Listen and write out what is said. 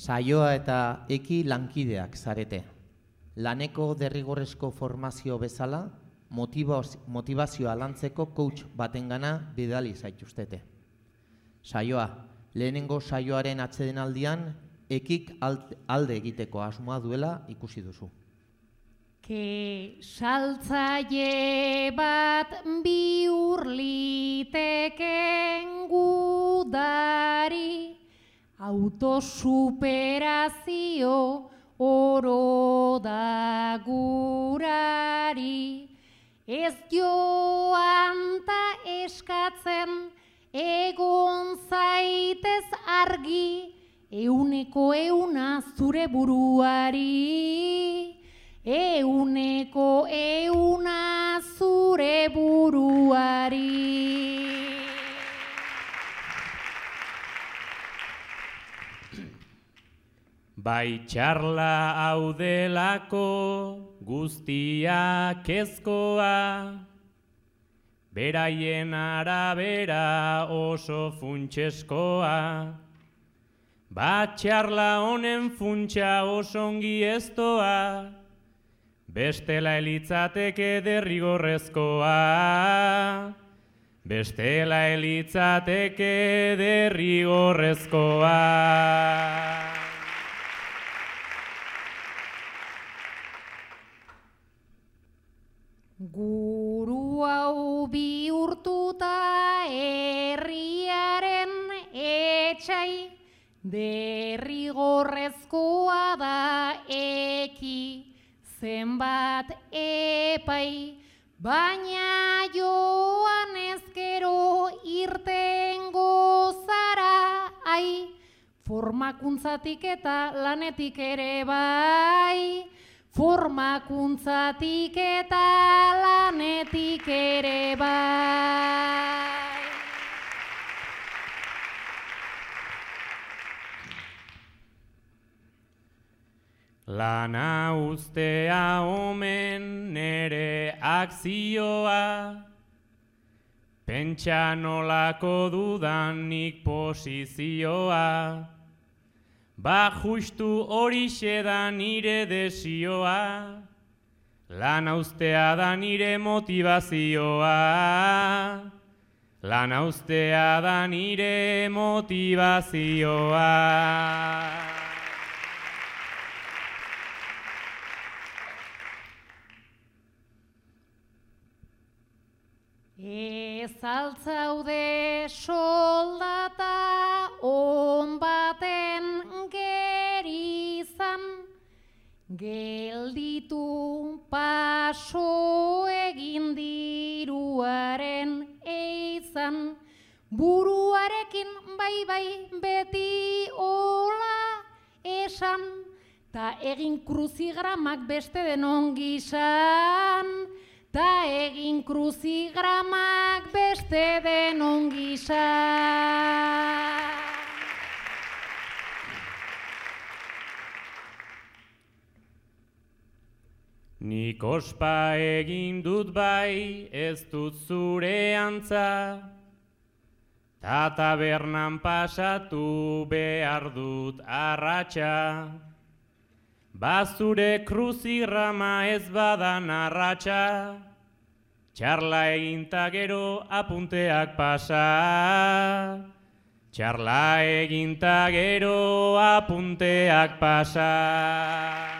Saioa eta eki lankideak zarete. Laneko derrigorrezko formazio bezala, motivazioa lantzeko coach batengana bidali zaituztete. Saioa, lehenengo saioaren atsedenaldian, ekik alde egiteko asmoa duela ikusi duzu. Saltzaile bat bihur liteken gudari, autosuperazio oro da gurari, ez joan ta eskatzen egon zaitez argi, euneko euna zure buruari, euneko euna zure buruari. Bai txarla hau delako guztia kezkoa, beraien arabera oso funtseskoa, bat txarla honen funtsa osongi eztoa, bestela elitzateke derrigorrezkoa, bestela elitzateke derrigorrezkoa. Guru hau bihurtuta herriaren etxai, derrigorrezkoa da eki zenbat epai, baina joan ezkero irtengo zara, ai, formakuntzatik eta lanetik ere bai, formakuntzatik eta lanetik ere bai. Lana ustea omen nere akzioa, pentsa nolako dudanik posizioa, ba justu horixe da nire desioa, lana ustea da nire motivazioa, lana ustea da nire motivazioa. Ez altzaude soldata on baten gerizan, gelditu paso egin diruaren eizan, buruarekin bai beti hola esan, ta egin kruzigramak beste denon gizan, ta egin kruzigramak beste denon gizan. Nik ospa egin dut bai, ez dut zure antza, ta tabernan pasatu behar dut arratsa, bazure kruzigrama ez badan arratsa, txarla eginta gero apunteak pasa, txarla eginta gero apunteak pasa.